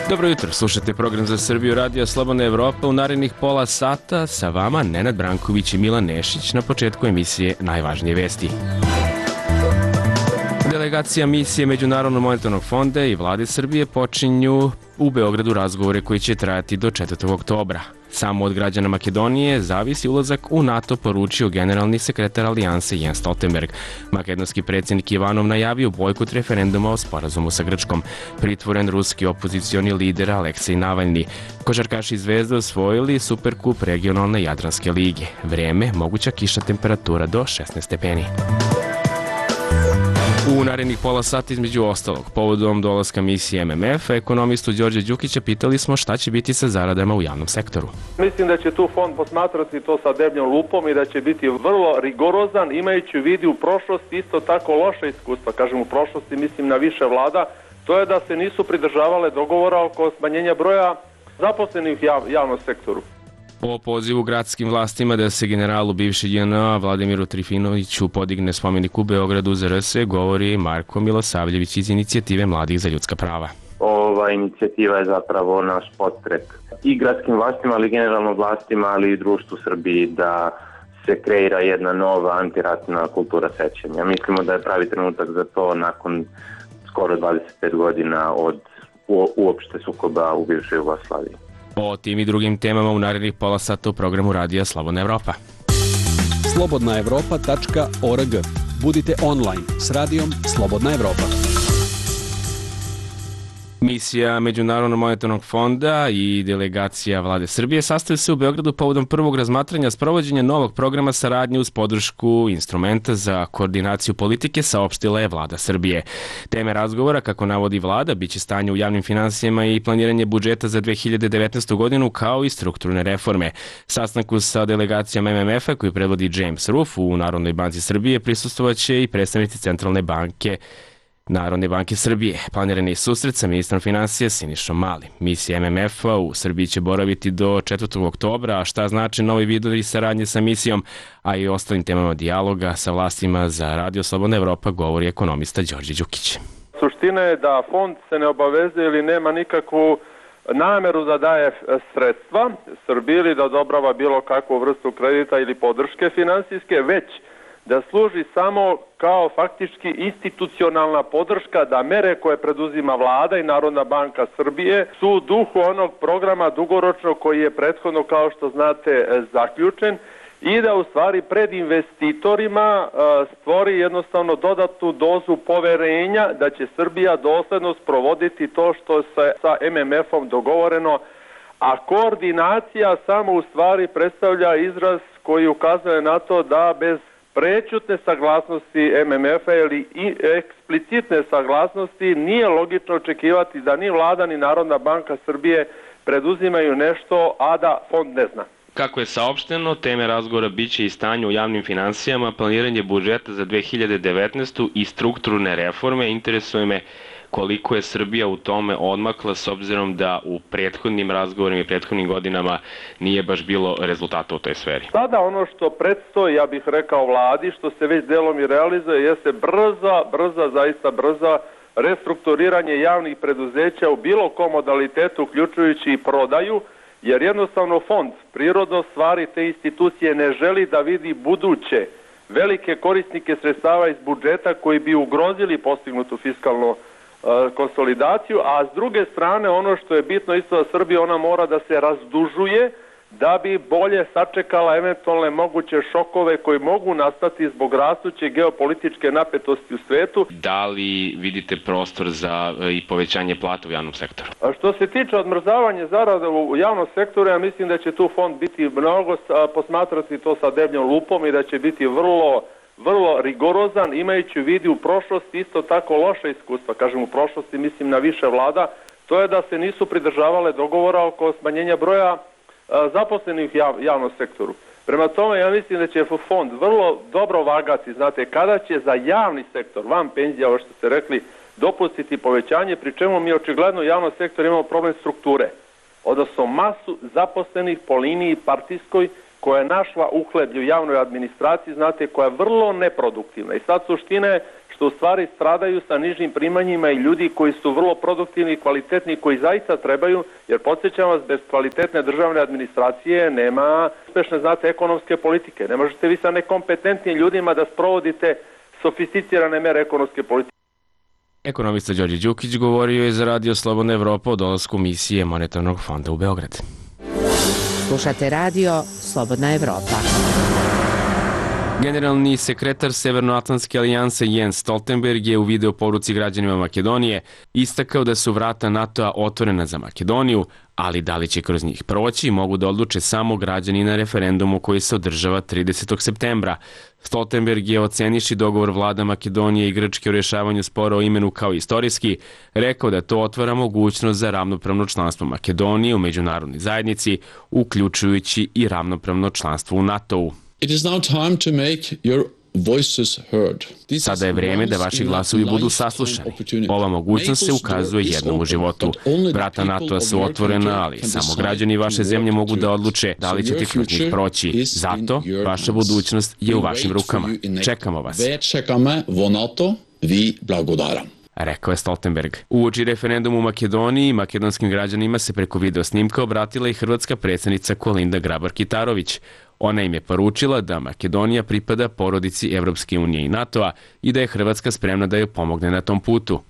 Dobro jutro, slušate program za Srbiju Radio Slobodna Evropa. U narednih pola sata sa vama Nenad Branković i Milan Nešić. Na početku emisije najvažnije vesti. Delegacija misije Međunarodnog monetarnog fonda i vlade Srbije počinju u Beogradu razgovore koji će trajati do 4. oktobra. Samo od građana Makedonije zavisi ulazak u NATO, poručio generalni sekretar Alijanse Jens Stoltenberg. Makedonski predsjednik Ivanov najavio bojkot referenduma o sporazumu sa Grčkom. Pritvoren ruski opozicioni lider Aleksej Navalni. Košarkaši Zvezde osvojili Superkup regionalne Jadranske lige. Vreme, moguća kiša, temperatura do 16 stepeni. U narednih pola sata između ostalog, povodom dolaska misije MMF, ekonomistu Đorđe Đukića pitali smo šta će biti sa zaradama u javnom sektoru. Mislim da će tu fond posmatrati to sa debljom lupom i da će biti vrlo rigorozan, imajući u vidu u prošlosti isto tako loše iskustva. Kažem u prošlosti, mislim na više vlada, to je da se nisu pridržavale dogovora oko smanjenja broja zaposlenih u javnom sektoru. O pozivu gradskim vlastima da se generalu bivše JNA Vladimiru Trifinoviću podigne spomenik u Beogradu za RS govori Marko Milosavljević iz Inicijative mladih za ljudska prava. Ova inicijativa je zapravo naš podstrek i gradskim vlastima, ali generalno vlastima, ali i društvu Srbiji da se kreira jedna nova antiratna kultura sećanja. Mislimo da je pravi trenutak za to nakon skoro 25 godina od uopšte sukoba u bivšoj Jugoslaviji. O tim i drugim temama u narednih pola sata u programu Radija Slobodna Evropa. slobodnaevropa.org. Budite online s radijom Slobodna Evropa. Misija Međunarodnog monetarnog fonda i delegacija vlade Srbije sastaju se u Beogradu povodom prvog razmatranja sprovođenja novog programa saradnje uz podršku instrumenta za koordinaciju politike, saopštila je vlada Srbije. Teme razgovora, kako navodi vlada, biće stanje u javnim finansijama i planiranje budžeta za 2019. godinu, kao i strukturne reforme. Sastanku sa delegacijom MMF-a koji predvodi James Ruff u Narodnoj banci Srbije prisustvovaće i predstavnici Centralne banke Narodne banke Srbije. Planiran je susret sa ministrom finansija Sinišom Malim. Misija MMF-a u Srbiji će boraviti do 4. oktobra, a šta znači novi vidovi saradnje sa misijom, a i ostalim temama dijaloga sa vlastima za Radio Slobodna Evropa govori ekonomista Đorđe Đukić. Suština je da fond se ne obavezuje ili nema nikakvu nameru da daje sredstva Srbiji ili da odobrava bilo kakvu vrstu kredita ili podrške finansijske, već da služi samo kao faktički institucionalna podrška da mere koje preduzima vlada i Narodna banka Srbije su u duhu onog programa dugoročnog koji je prethodno, kao što znate, zaključen i da u stvari pred investitorima stvori jednostavno dodatnu dozu poverenja da će Srbija dosledno sprovoditi to što se sa MMF-om dogovoreno, a koordinacija samo u stvari predstavlja izraz koji ukazuje na to da bez prećutne saglasnosti MMF-a ili eksplicitne saglasnosti nije logično očekivati da ni vlada ni Narodna banka Srbije preduzimaju nešto, a da fond ne zna. Kako je saopšteno, teme razgovora biće i stanje u javnim finansijama, planiranje budžeta za 2019. i strukturne reforme. Interesuje me koliko je Srbija u tome odmakla s obzirom da u prethodnim razgovorima i prethodnim godinama nije baš bilo rezultata u toj sferi. Sada ono što predstoji, ja bih rekao vladi, što se već delom i realizuje, jeste zaista brza restrukturiranje javnih preduzeća u bilo kom modalitetu, uključujući i prodaju, jer jednostavno fond prirodno stvari te institucije ne želi da vidi buduće velike korisnike sredstava iz budžeta koji bi ugrozili postignutu fiskalnu konsolidaciju, a s druge strane ono što je bitno isto za Srbiju, ona mora da se razdužuje da bi bolje sačekala eventualne moguće šokove koji mogu nastati zbog rastuće geopolitičke napetosti u svetu. Da li vidite prostor za i povećanje plata u javnom sektoru? A što se tiče odmrzavanja zarada u javnom sektoru, ja mislim da će tu fond biti mnogo posmatrati to sa debljom lupom i da će biti vrlo rigorozan, imajući u vidu u prošlosti isto tako loše iskustva. Kažem u prošlosti, mislim na više vlada, to je da se nisu pridržavale dogovora oko smanjenja broja zaposlenih u javnom sektoru. Prema tome, ja mislim da će fond vrlo dobro vagati, znate, kada će za javni sektor, van penzija, ovo što ste rekli, dopustiti povećanje, pri čemu mi očigledno u javnom sektoru imamo problem strukture, odnosno masu zaposlenih po liniji partijskoj koja je našla uhleblje u javnoj administraciji, znate, koja je vrlo neproduktivna. I sad suština je što u stvari stradaju sa nižim primanjima i ljudi koji su vrlo produktivni i kvalitetni, koji zaista trebaju, jer podsjećam vas, bez kvalitetne državne administracije nema uspešne, znate, ekonomske politike. Ne možete vi sa nekompetentnim ljudima da sprovodite sofisticirane mere ekonomske politike. Ekonomista Đorđe Đukić govorio je za Radio Slobodna Evropa o dolasku misije Monetarnog fonda u Beograd. Slušate Radio Slobodna Evropa. Generalni sekretar Severnoatlantske alijanse Jens Stoltenberg je u video poruci građanima Makedonije istakao da su vrata NATO-a otvorena za Makedoniju, ali da li će kroz njih proći mogu da odluče samo građani na referendumu koji se održava 30. septembra. Stoltenberg je, oceniši dogovor vlada Makedonije i Grčke o rješavanju spora o imenu kao istorijski, rekao da to otvara mogućnost za ravnopravno članstvo Makedonije u međunarodnoj zajednici, uključujući i ravnopravno članstvo u NATO-u. It is now time to make your voices heard. Sada je vrijeme da vaši glasovi budu saslušani. Ova mogućnost se ukazuje jednom u životu. Vrata NATO-a su otvorena, ali samo građani vaše zemlje mogu da odluče da li ćete kroz njih proći. Zato, vaša budućnost je u vašim rukama. Čekamo vas. Rekao je Stoltenberg. Uoči referendumu u Makedoniji, makedonskim građanima se preko video snimka obratila i hrvatska predsjednica Kolinda Grabar-Kitarović. Ona im je poručila da Makedonija pripada porodici Evropske unije i NATO-a i da je Hrvatska spremna da joj pomogne na tom putu.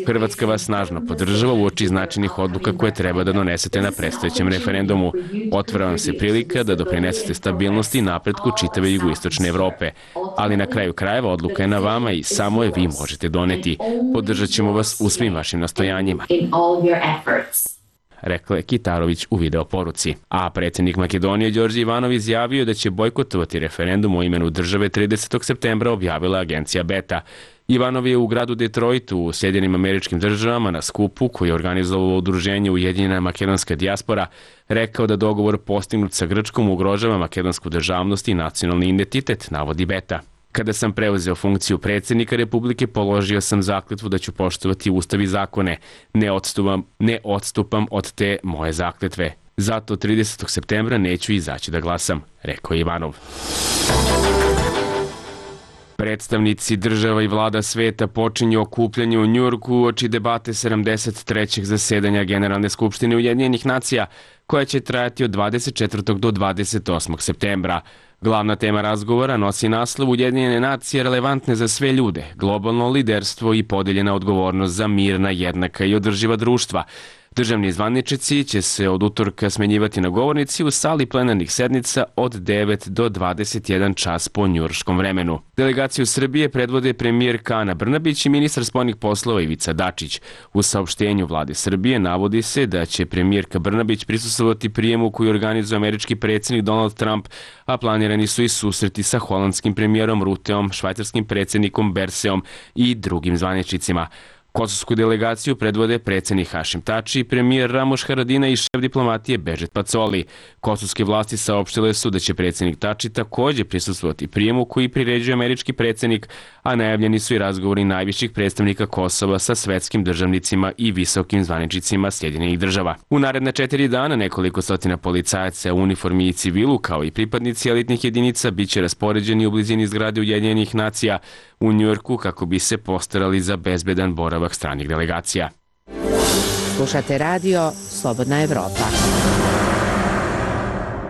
Hrvatska vas snažno podržava uoči značajnih odluka koje treba da donesete na predstojećem referendumu. Otvara vam se prilika da doprinesete stabilnosti i napretku čitave jugoistočne Evrope. Ali na kraju krajeva odluka je na vama i samo je vi možete doneti. Podržat ćemo vas u svim vašim nastojanjima, rekla je Kitarović u video poruci. A predsjednik Makedonije Đorđe Ivanov izjavio da će bojkotovati referendum o imenu države 30. septembra, objavila agencija Beta. Ivanov je u gradu Detroitu u Sjedinjenim Američkim Državama na skupu koji je organizovalo udruženje Ujedinjena makedonska dijaspora rekao da dogovor postignut sa Grčkom ugrožava makedonsku državnost i nacionalni identitet, navodi Beta. Kada sam preuzeo funkciju predsjednika Republike, položio sam zakletvu da ću poštovati ustav i zakone. Ne odstupam od te moje zakletve. Zato 30. septembra neću izaći da glasam, rekao je Ivanov. Predstavnici država i vlada sveta počinju okupljanje u Njujorku uoči debate 73. zasedanja Generalne skupštine Ujedinjenih nacija, koja će trajati od 24. do 28. septembra. Glavna tema razgovora nosi naslov Ujedinjene nacije relevantne za sve ljude, globalno liderstvo i podeljena odgovornost za mirna, jednaka i održiva društva. Državni zvaničnici će se od utorka smenjivati na govornici u sali plenarnih sednica od 9 do 21 čas po njujorškom vremenu. Delegaciju Srbije predvode premijerka Ana Brnabić i ministar spoljnih poslova Ivica Dačić. U saopštenju vlade Srbije navodi se da će premijerka Brnabić prisustvovati prijemu koji organizuje američki predsjednik Donald Trump, a planirani su i susreti sa holandskim premijerom Ruteom, švajcarskim predsjednikom Berseom i drugim zvaničnicima. Kosovsku delegaciju predvode predsjednik Hašim Tači, premijer Ramoš Haradinaj i šef diplomatije Bežet Pacoli. Kosovske vlasti saopštile su da će predsjednik Tači također prisustvovati prijemu koji priređuje američki predsjednik, a najavljeni su i razgovori najviših predstavnika Kosova sa svetskim državnicima i visokim zvaničnicima Sjedinjenih država. U naredna 4 dana nekoliko stotina policajaca u uniformi i civilu, kao i pripadnici elitnih jedinica, bit će raspoređeni u blizini zgrade Ujedinjenih nacija u Njujorku kako bi se postarali za bezbedan boravak stranih delegacija. Slušate Radio Slobodna Evropa.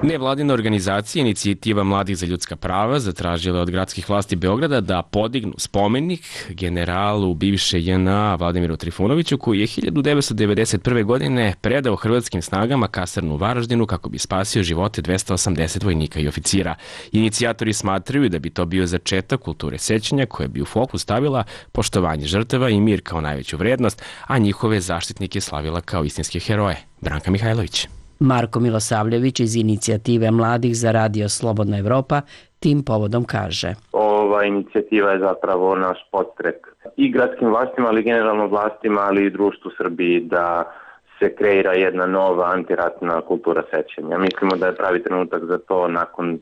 Nevladina organizacija Inicijativa mladih za ljudska prava zatražila od gradskih vlasti Beograda da podignu spomenik generalu bivše JNA Vladimiru Trifunoviću, koji je 1991. godine predao hrvatskim snagama kasarnu u Varaždinu kako bi spasio živote 280 vojnika i oficira. Inicijatori smatraju da bi to bio začetak kulture sećanja koja bi u fokus stavila poštovanje žrtava i mir kao najveću vrednost, a njihove zaštitnike slavila kao istinske heroje. Branka Mihajlović. Marko Milosavljević iz Inicijative mladih za Radio Slobodna Evropa tim povodom kaže: Ova inicijativa je zapravo naš podstrek i gradskim vlastima, ali generalno vlastima, ali i društvu Srbiji da se kreira jedna nova antiratna kultura sećanja. Mislimo da je pravi trenutak za to nakon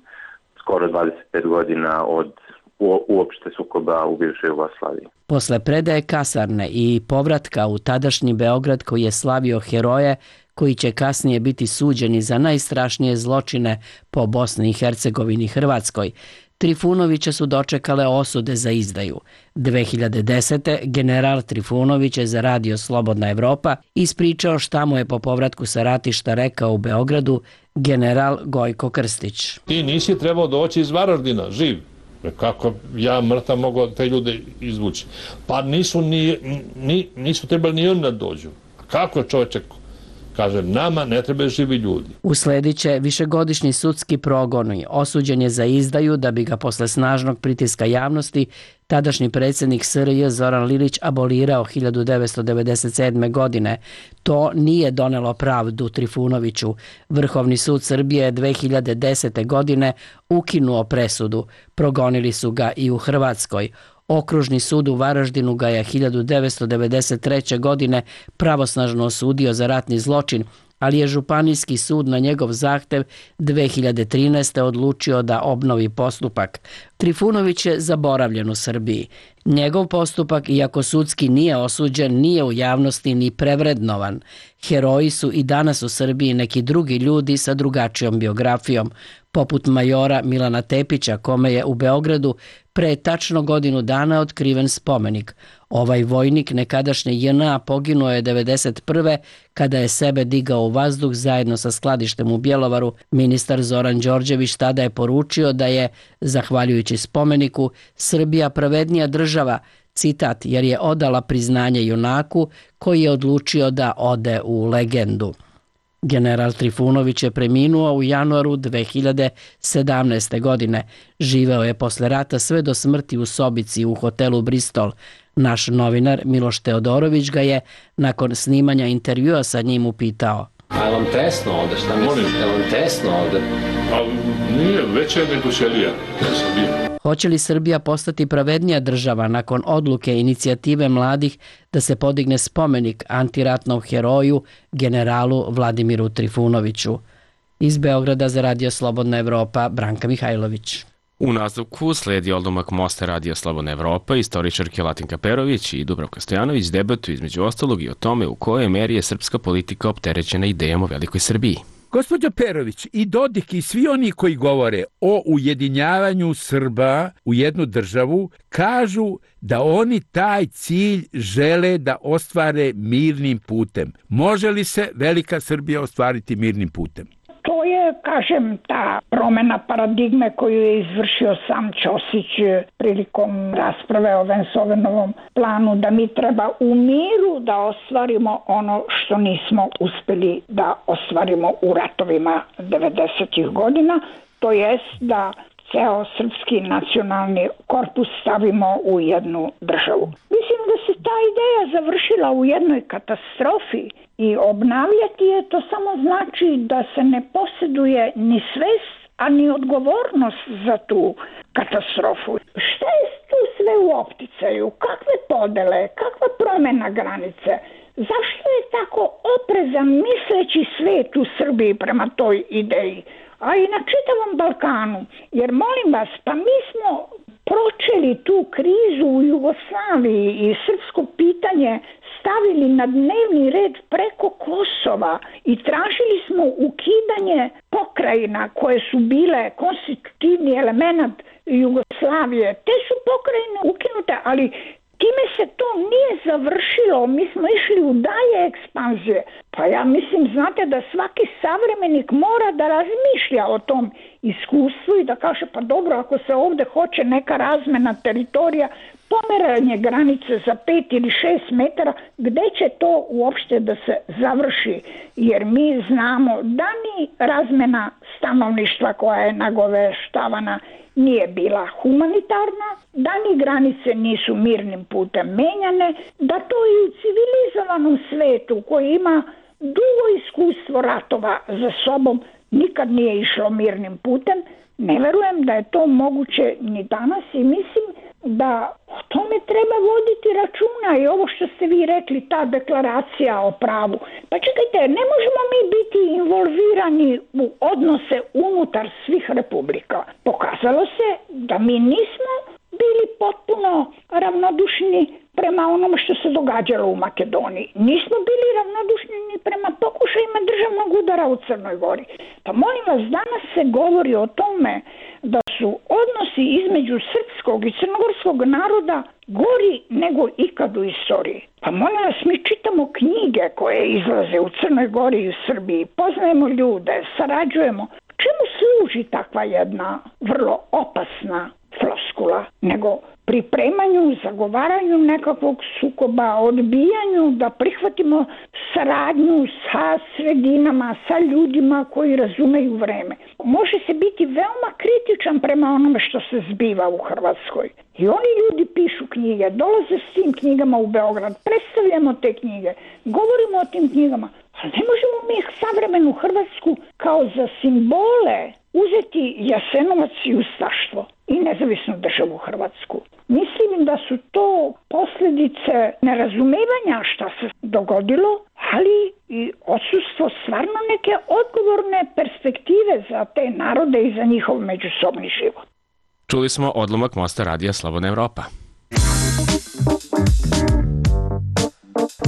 skoro 25 godina od uopšte sukoba u bivšoj Jugoslaviji. Posle predaje kasarne i povratka u tadašnji Beograd koji je slavio heroje koji će kasnije biti suđeni za najstrašnije zločine po Bosni i Hercegovini i Hrvatskoj, Trifunovića su dočekale osude za izdaju. 2010. general Trifunović je za Radio Slobodna Evropa ispričao šta mu je po povratku sa ratišta rekao u Beogradu general Gojko Krstić. Ti nisi trebao doći iz Varaždina, živ. Kako ja mrtav mogu te ljude izvući? Pa nisu trebali ni oni da dođu. Kako je čovječe? Kaže, nama ne trebaju živi ljudi. Usledit će višegodišnji sudski progon i osuđen je za izdaju da bi ga posle snažnog pritiska javnosti tadašnji predsjednik SRJ Zoran Lilić abolirao 1997. godine. To nije donelo pravdu Trifunoviću. Vrhovni sud Srbije je 2010. godine ukinuo presudu. Progonili su ga i u Hrvatskoj. Okružni sud u Varaždinu ga je 1993. godine pravosnažno osudio za ratni zločin, ali je Županijski sud na njegov zahtev 2013. odlučio da obnovi postupak. Trifunović je zaboravljen u Srbiji. Njegov postupak, iako sudski nije osuđen, nije u javnosti ni prevrednovan. Heroji su i danas u Srbiji neki drugi ljudi sa drugačijom biografijom, poput majora Milana Tepića, kome je u Beogradu pre tačno godinu dana otkriven spomenik. Ovaj vojnik nekadašnje JNA poginuo je 1991. kada je sebe digao u vazduh zajedno sa skladištem u Bjelovaru. Ministar Zoran Đorđević tada je poručio da je, zahvaljujući spomeniku, Srbija pravednija država, citat, jer je odala priznanje junaku koji je odlučio da ode u legendu. General Trifunović je preminuo u januaru 2017. godine. Živeo je posle rata sve do smrti u sobici u hotelu Bristol. Naš novinar Miloš Teodorović ga je nakon snimanja intervjua sa njim upitao. A je vam tesno ovde? Šta mislite? Je vam tesno ovde? Nije, veće nego ćelija. Ja sam bio. Hoće li Srbija postati pravednija država nakon odluke inicijative mladih da se podigne spomenik antiratnom heroju generalu Vladimiru Trifunoviću? Iz Beograda za Radio Slobodna Evropa, Branka Mihajlović. U nastavku sledi odlomak mosta Radio Slobodna Evropa, istoričarke Latinka Perović i Dubravka Stojanović debatuju između ostalog i o tome u kojoj meri je srpska politika opterećena idejom o velikoj Srbiji. Gospođo Perović, i Dodik i svi oni koji govore o ujedinjavanju Srba u jednu državu, kažu da oni taj cilj žele da ostvare mirnim putem. Može li se velika Srbija ostvariti mirnim putem? To je, kažem, ta promena paradigme koju je izvršio sam Ćosić prilikom rasprave o Vensovenovom planu, da mi treba u miru da ostvarimo ono što nismo uspeli da ostvarimo u ratovima 90-ih godina, to jest da ceo srpski nacionalni korpus stavimo u jednu državu. Mislim da se ta ideja završila u jednoj katastrofi i obnavljati je to samo znači da se ne posjeduje ni svest, a ni odgovornost za tu katastrofu. Šta je tu sve u opticaju? Kakve podele? Kakva promjena granice? Zašto je tako oprezan misleći svet u Srbiji prema toj ideji? A i na čitavom Balkanu. Jer molim vas, pa mi smo pročeli tu krizu u Jugoslaviji i srpsko pitanje stavili na dnevni red preko Kosova i tražili smo ukidanje pokrajina koje su bile konstitutivni element Jugoslavije. Te su pokrajine ukinute, ali time se to nije završilo. Mi smo išli u dalje ekspanzije. Pa ja mislim, znate, da svaki savremenik mora da razmišlja o tom iskustvu i da kaže, pa dobro, ako se ovdje hoće neka razmena teritorija, pomeranje granice za 5 ili 6 metara, gde će to uopšte da se završi? Jer mi znamo da ni razmena stanovništva koja je nagoveštavana nije bila humanitarna, da ni granice nisu mirnim putem menjane, da to i u civilizovanom svetu koji ima dugo iskustvo ratova za sobom nikad nije išlo mirnim putem. Ne verujem da je to moguće ni danas i mislim da o tome treba voditi računa i ovo što ste vi rekli, ta deklaracija o pravu. Pa čekajte, ne možemo mi biti involvirani u odnose unutar svih republika. Pokazalo se da mi nismo bili potpuno ravnodušni prema onom što se događalo u Makedoniji. Nismo bili ravnodušni ni prema pokušajima udara u Crnoj Gori. Pa molim vas, danas se govori o tome da su odnosi između srpskog i crnogorskog naroda gori nego ikad u istoriji. Pa molim vas, mi čitamo knjige koje izlaze u Crnoj Gori i u Srbiji, poznajemo ljude, sarađujemo. Čemu služi takva jedna vrlo opasna floskula? Nego pripremanju, zagovaranju nekakvog sukoba, odbijanju da prihvatimo saradnju sa sredinama, sa ljudima koji razumeju vreme. Može se biti veoma kritičan prema onome što se zbiva u Hrvatskoj. I oni ljudi pišu knjige, dolaze s tim knjigama u Beograd, predstavljamo te knjige, govorimo o tim knjigama, ali ne možemo mi savremenu Hrvatsku kao za simbole uzeti Jasenovac i ustaštvo i nezavisnu državu Hrvatsku. Mislim da su to posljedice nerazumevanja šta se dogodilo, ali i odsustvo stvarno neke odgovorne perspektive za te narode i za njihov međusobni život. Čuli smo odlomak Mosta radija Slobodna Evropa.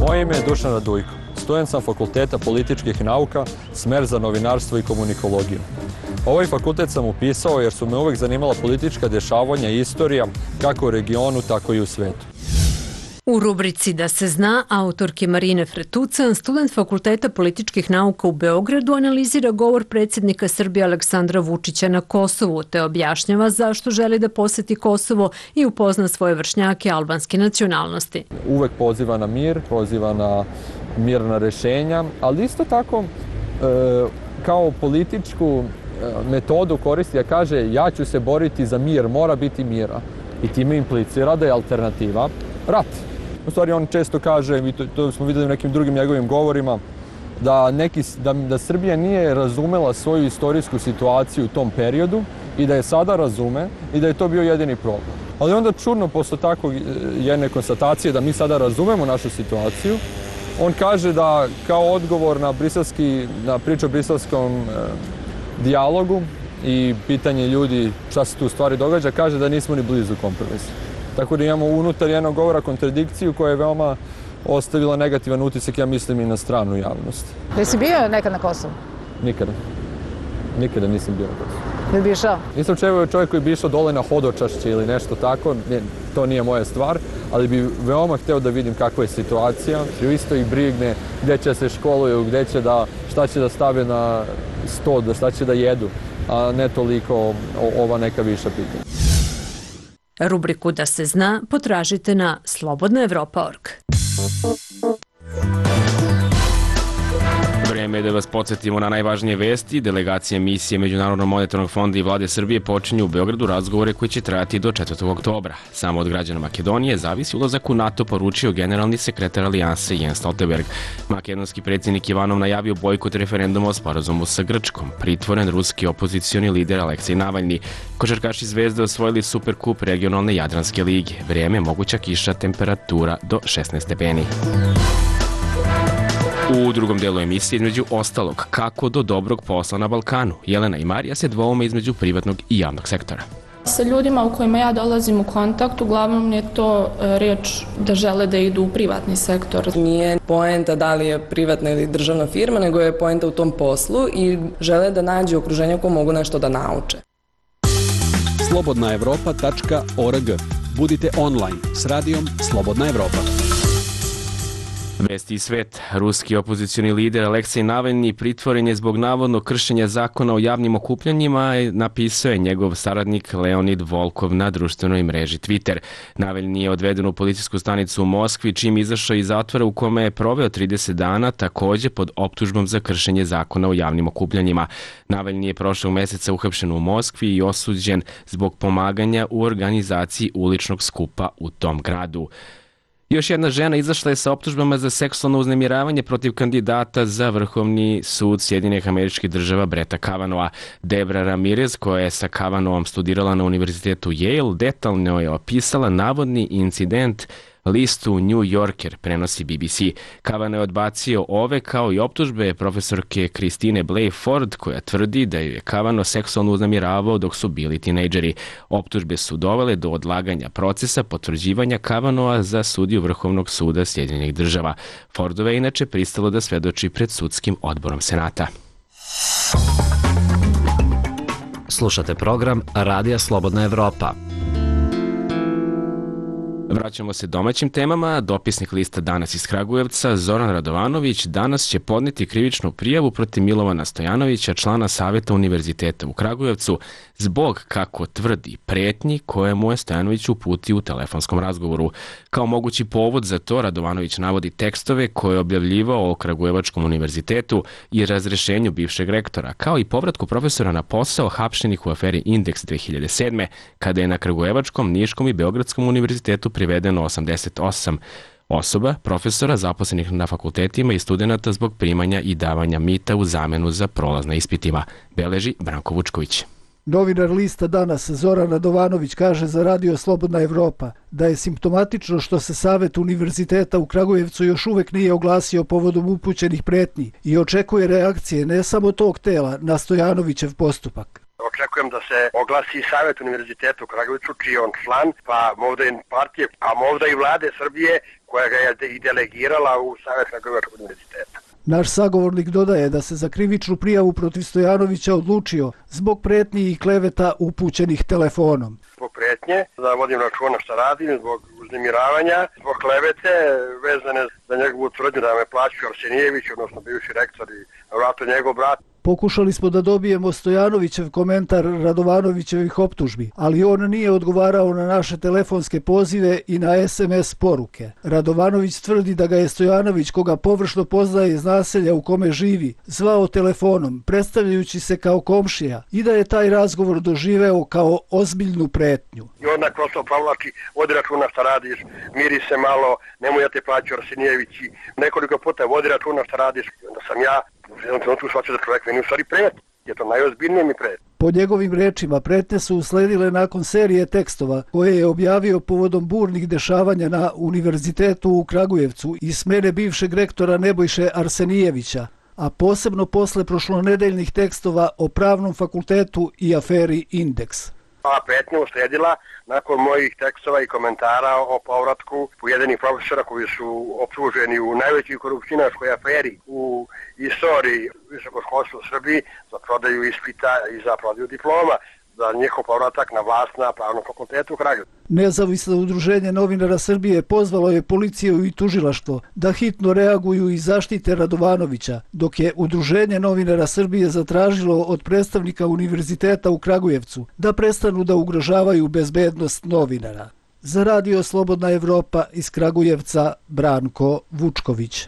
Moje ime je Dušan Radujko. Student sam Fakulteta političkih nauka, smer za novinarstvo i komunikologiju. Ovaj fakultet sam upisao jer su me uvek zanimala politička dešavanja i istorija, kako u regionu, tako i u svetu. U rubrici Da se zna, autorke Marine Fretucan, student Fakulteta političkih nauka u Beogradu, analizira govor predsjednika Srbije Aleksandra Vučića na Kosovu, te objašnjava zašto želi da poseti Kosovo i upozna svoje vršnjake albanske nacionalnosti. Uvek poziva na mir, poziva na mirna rešenja, ali isto tako kao političku metodu koristi, da kaže ja ću se boriti za mir, mora biti mira. I time implicira da je alternativa rat. U stvari on često kaže, i to smo vidjeli u nekim drugim njegovim govorima, da Srbija nije razumela svoju istorijsku situaciju u tom periodu i da je sada razume i da je to bio jedini problem. Ali onda čudno, posle tako jedne konstatacije da mi sada razumemo našu situaciju, on kaže da kao odgovor na priču o briselskom dijalogu i pitanje ljudi šta se tu u stvari događa, kaže da nismo ni blizu kompromisa. Tako da imamo unutar jednog govora kontradikciju koja je veoma ostavila negativan utisak, ja mislim, i na stranu javnosti. Jesi bio nekad na Kosovu? Nikada. Nikada nisam bio na Kosovu. Jel bi išao? Nisam čovjek koji bi išao dole na hodočašće ili nešto tako, to nije moja stvar, ali bi veoma hteo da vidim kakva je situacija. Isto ih brigne gde će se školuju, šta će da stave na sto, šta će da jedu, a ne toliko ova neka viša pitanja. Rubriku Da se zna potražite na slobodnaevropa.org. Vreme je da vas podsjetimo na najvažnije vesti. Delegacije misije Međunarodnog monetarnog fonda i vlade Srbije počinju u Beogradu razgovore koji će trajati do 4. oktobra. Samo od građana Makedonije zavisi ulazak u NATO, poručio generalni sekretar Alijanse Jens Stoltenberg. Makedonski predsjednik Ivanov najavio bojkot referenduma o sporazumu sa Grčkom. Pritvoren ruski opozicioni lider Aleksej Navalni. Košarkaši Zvezde osvojili Superkup regionalne Jadranske lige. Vrijeme, moguća kiša, temperatura do 16 stepeni. U drugom delu emisije, između ostalog, kako do dobrog posla na Balkanu. Jelena i Marija se dvoume između privatnog i javnog sektora. Sa ljudima u kojima ja dolazim u kontakt, uglavnom je to reč da žele da idu u privatni sektor. Nije poenta da li je privatna ili državna firma, nego je poenta u tom poslu i žele da nađu okruženje u kojem mogu nešto da nauče. slobodnaevropa.org. Budite online s radijom Slobodna Evropa. Vesti i svet. Ruski opozicioni lider Aleksej Navalni pritvoren je zbog navodnog kršenja zakona o javnim okupljanjima, napisao je njegov saradnik Leonid Volkov na društvenoj mreži Twitter. Navalni je odveden u policijsku stanicu u Moskvi, čim izašao iz zatvora u kome je proveo 30 dana, takođe pod optužbom za kršenje zakona o javnim okupljanjima. Navalni je prošlog meseca uhapšen u Moskvi i osuđen zbog pomaganja u organizaciji uličnog skupa u tom gradu. Još jedna žena izašla je sa optužbama za seksualno uznemiravanje protiv kandidata za Vrhovni sud Sjedinjenih Američkih Država Bretta Kavanagha. Debra Ramirez, koja je sa Kavanaghom studirala na univerzitetu Yale, detaljno je opisala navodni incident listu New Yorker, prenosi BBC. Kavanaugh je odbacio ove kao i optužbe profesorke Christine Blasey Ford, koja tvrdi da je Kavanaugh seksualno uznemiravao dok su bili tinejdžeri. Optužbe su dovele do odlaganja procesa potvrđivanja Kavanaugha za sudiju Vrhovnog suda Sjedinjenih Država. Fordova je inače pristalo da svedoči pred sudskim odborom Senata. Slušate program Radija Slobodna Evropa. Vraćamo se domaćim temama. Dopisnik lista Danas iz Kragujevca, Zoran Radovanović, danas će podneti krivičnu prijavu protiv Milovana Stojanovića, člana Saveta Univerziteta u Kragujevcu, zbog, kako tvrdi, pretnji koje mu je Stojanović uputio u telefonskom razgovoru. Kao mogući povod za to, Radovanović navodi tekstove koje je objavljivao o Kragujevačkom univerzitetu i razrešenju bivšeg rektora, kao i povratku profesora na posao hapšenih u aferi Indeks 2007. kada je na Kragujevačkom, Niškom i Beogradskom univerzitetu privedeno 88 osoba, profesora zaposlenih na fakultetima i studenta zbog primanja i davanja mita u zamenu za prolaz na ispitima, beleži Branko Vučković. Novinar lista Danas Zoran Radovanović kaže za Radio Slobodna Evropa da je simptomatično što se Savet Univerziteta u Kragujevcu još uvek nije oglasio povodom upućenih pretnji i očekuje reakcije ne samo tog tela na Stojanovićev postupak. Očekujem da se oglasi i Savet Univerziteta u Kragujevcu, čiji je on član, pa možda i partije, a možda i vlade Srbije koja ga je i delegirala u Savet Kragujevačkog univerziteta. Naš sagovornik dodaje da se za krivičnu prijavu protiv Stojanovića odlučio zbog pretnji i kleveta upućenih telefonom. Zbog pretnje, da vodim računa šta radim, zbog uznemiravanja, zbog klevete vezane za njegovu tvrdnju da me plaćaju Arsenijević, odnosno bivši rektor i vratno njegov brat. Pokušali smo da dobijemo Stojanovićev komentar Radovanovićevih optužbi, ali on nije odgovarao na naše telefonske pozive i na SMS poruke. Radovanović tvrdi da ga je Stojanović, koga površno poznaje iz naselja u kome živi, zvao telefonom, predstavljajući se kao komšija i da je taj razgovor doživeo kao ozbiljnu pretnju. I onda prosto provlači, vodi računa šta radiš, miri se malo, nemoj da te plaću Arsenijević, nekoliko puta vodi računa šta radiš, onda sam ja u jednom trenutku shvatio da čovjek meni u stvari pretnje. Je to najozbiljnije mi pretnje. Po njegovim rečima, pretnje su usledile nakon serije tekstova koje je objavio povodom burnih dešavanja na Univerzitetu u Kragujevcu i smene bivšeg rektora Nebojše Arsenijevića, a posebno posle prošlonedeljnih tekstova o Pravnom fakultetu i aferi Indeks. Ova pretnja usledila nakon mojih tekstova i komentara o povratku pojedinih profesora koji su optuženi u najvećoj korupcionarskoj aferi u istoriji visokoškolstva u Srbiji za prodaju ispita i za prodaju diploma, za njihov povratak na vlast na Pravnom fakultetu u Kragujevcu. Nezavisno udruženje novinara Srbije pozvalo je policiju i tužilaštvo da hitno reaguju i zaštite Radovanovića, dok je udruženje novinara Srbije zatražilo od predstavnika Univerziteta u Kragujevcu da prestanu da ugrožavaju bezbednost novinara. Za Radio Slobodna Evropa iz Kragujevca, Branko Vučković.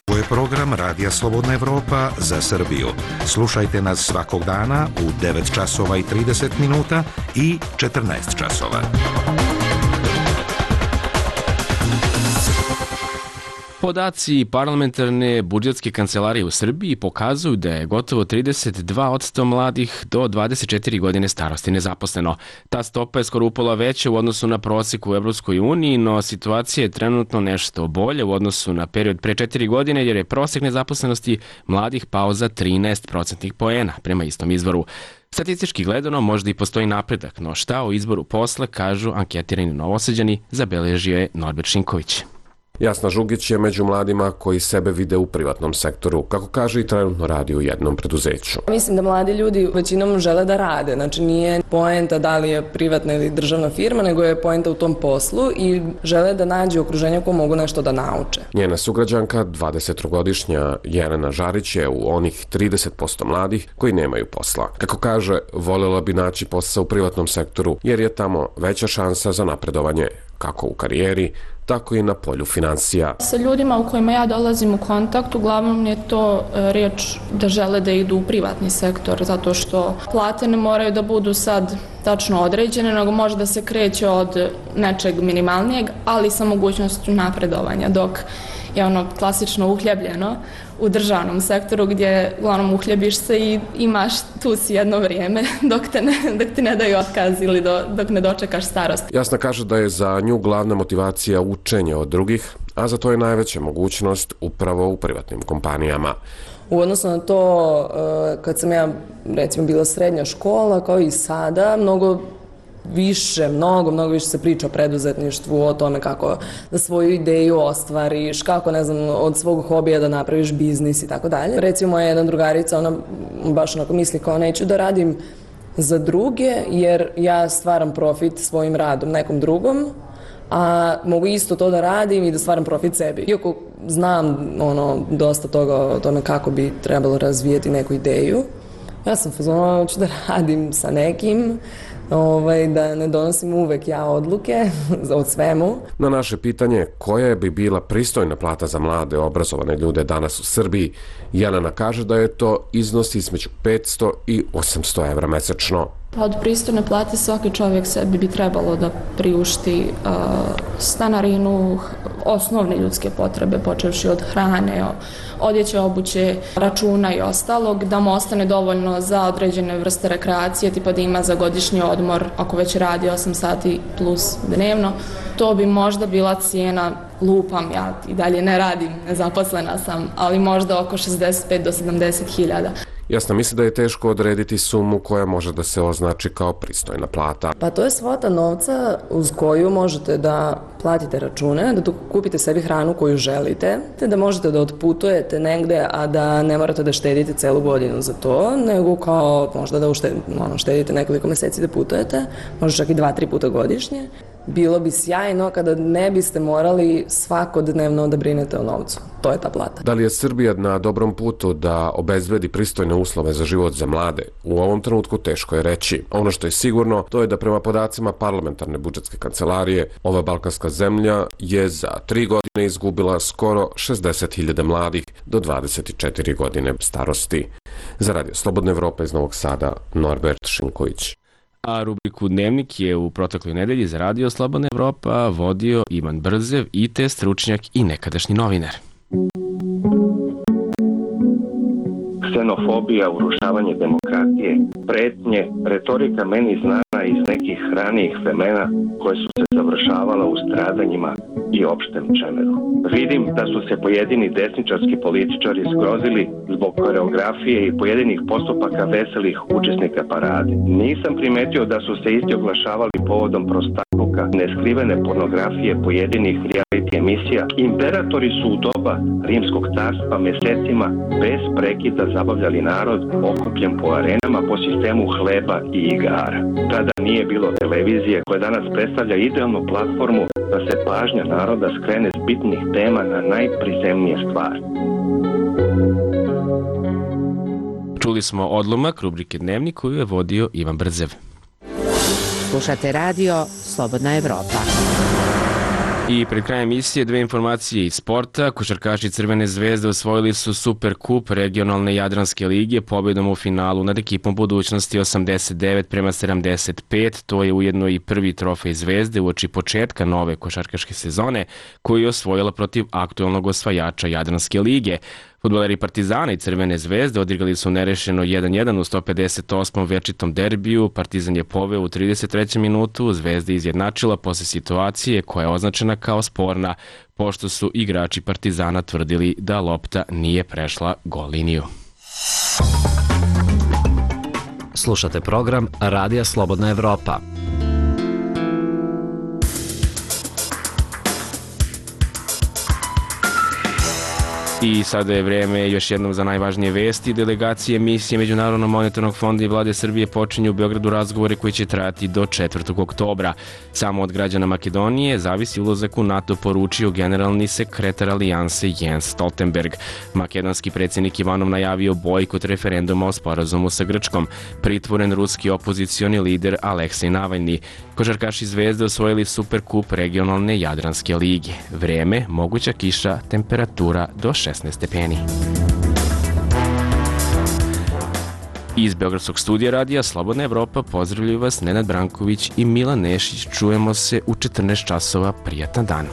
Ovo je program Radija Slobodna Evropa za Srbiju. Slušajte nas svakog dana u 9 časova i 30 minuta i 14 časova. Podaci parlamentarne budžetske kancelarije u Srbiji pokazuju da je gotovo 32% mladih do 24 godine starosti nezaposleno. Ta stopa je skoro upola veća u odnosu na prosek u Evropskoj uniji, no situacija je trenutno nešto bolje u odnosu na period pre 4 godine, jer je prosek nezaposlenosti mladih pao za 13% poena, prema istom izvoru. Statistički gledano možda i postoji napredak, no šta o izboru posla kažu anketirani Novosađani, zabeležio je Norbert Šinković. Jasna Žugić je među mladima koji sebe vide u privatnom sektoru, kako kaže i trenutno radi u jednom preduzeću. Mislim da mladi ljudi većinom žele da rade, znači nije poenta da li je privatna ili državna firma, nego je poenta u tom poslu i žele da nađu okruženje koje mogu nešto da nauče. Njena sugrađanka, 23-godišnja Jelena Žarić, je u onih 30% mladih koji nemaju posla. Kako kaže, voljela bi naći posao u privatnom sektoru jer je tamo veća šansa za napredovanje, kako u karijeri, tako i na polju finansija. Sa ljudima u kojima ja dolazim u kontakt, uglavnom je to reč da žele da idu u privatni sektor, zato što plate ne moraju da budu sad tačno određene, nego može da se kreće od nečeg minimalnijeg, ali sa mogućnošću napredovanja, dok je ono klasično uhljebljeno u državnom sektoru gdje uglavnom uhljebiš se i imaš tu si jedno vrijeme dok ti ne daju otkaz ili dok ne dočekaš starost. Jasna kaže da je za nju glavna motivacija učenje od drugih, a za to je najveća mogućnost upravo u privatnim kompanijama. U odnosu na to, kad sam ja recimo bila srednja škola, kao i sada, mnogo mnogo više se priča o preduzetništvu, o tome kako da svoju ideju ostvariš, kako, ne znam, od svog hobija da napraviš biznis i tako dalje. Recimo, moja jedna drugarica, ona baš onako misli kao neću da radim za druge, jer ja stvaram profit svojim radom nekom drugom, a mogu isto to da radim i da stvaram profit sebi. Iako znam dosta toga o tome kako bi trebalo razvijeti neku ideju, ja sam fazona, hoću da radim sa nekim, da ne donosim uvek ja odluke od svemu. Na naše pitanje koja bi bila pristojna plata za mlade obrazovane ljude danas u Srbiji, Jelena kaže da je to iznos između 500 i 800 evra mesečno. Od pristojne plate svaki čovjek sebi bi trebalo da priušti stanarinu, osnovne ljudske potrebe, počevši od hrane, odjeće, obuće, računa i ostalog, da mu ostane dovoljno za određene vrste rekreacije, tipa da ima za godišnji odmor, ako već radi 8 sati plus dnevno. To bi možda bila cijena, lupam, ja i dalje ne radim, nezaposlena sam, ali možda oko 65 do 70 hiljada. Jasno, misli da je teško odrediti sumu koja može da se označi kao pristojna plata. Pa to je svota novca uz koju možete da platite račune, da kupite sebi hranu koju želite, te da možete da otputujete negde, a da ne morate da štedite celu godinu za to, nego kao možda da štedite nekoliko meseci da putujete, možda čak i 2-3 puta godišnje. Bilo bi sjajno kada ne biste morali svakodnevno da brinete o novcu. To je ta plata. Da li je Srbija na dobrom putu da obezbedi pristojne uslove za život za mlade? U ovom trenutku teško je reći. Ono što je sigurno, to je da prema podacima parlamentarne budžetske kancelarije, ova balkanska zemlja je za 3 godine izgubila skoro 60.000 mladih do 24 godine starosti. Za Radio Slobodna Evropa iz Novog Sada, Norbert Šinković. A rubriku Dnevnik je u protekloj nedelji za Radio Slobodna Evropa vodio Ivan Brzev, IT stručnjak i nekadašnji novinar. Ksenofobija, urušavanje demokratije, pretnje, retorika meni znana iz nekih ranijih vremena koje su se završavala u stradanjima i opštem čemeru. Vidim da su se pojedini desničarski političari zgrozili zbog koreografije i pojedinih postupaka veselih učesnika parade. Nisam primetio da su se isti oglašavali povodom prostakluka, neskrivene pornografije pojedinih reality emisija. Imperatori su u doba Rimskog carstva mesecima bez prekida zabavljali narod okupljen po arenama po sistemu hleba i igara. Tada nije bilo televizije koja danas predstavlja idealnu platformu da se pažnja naroda skrene s bitnih tema na najprizemnije stvari. Čuli smo odlomak rubrike Dnevnik koju je vodio Ivan Brzev. Slušate radio Slobodna Evropa. I pred krajem emisije 2 informacije iz sporta. Košarkaši Crvene zvezde osvojili su Superkup regionalne Jadranske lige pobjedom u finalu nad ekipom Budućnosti 89-75. To je ujedno i prvi trofej Zvezde uoči početka nove košarkaške sezone koju je osvojila protiv aktualnog osvajača Jadranske lige. Fudbaleri Partizana i Crvene zvezde odigrali su nerešeno 1-1 u 158. večitom derbiju. Partizan je poveo u 33. minutu, Zvezda izjednačila posle situacije koja je označena kao sporna, pošto su igrači Partizana tvrdili da lopta nije prešla gol liniju. Slušate program Radija Slobodna Evropa. I sada je vreme još jednom za najvažnije vesti. Delegacije misije Međunarodnog monetarnog fonda i vlade Srbije počinju u Beogradu razgovore koji će trajati do 4. oktobra. Samo od građana Makedonije zavisi ulazak u NATO, poručio generalni sekretar alijanse Jens Stoltenberg. Makedonski predsjednik Ivanov najavio bojkot referenduma o sporazumu sa Grčkom. Pritvoren ruski opozicioni lider Aleksej Navalni. Košarkaši Zvezde osvojili Superkup regionalne Jadranske lige. Vreme, moguća kiša, temperatura do 16 stepeni. Iz Beogradskog studija radija Slobodna Evropa pozdravljaju vas Nenad Branković i Milan Nešić. Čujemo se u 14 časova. Prijatan dan.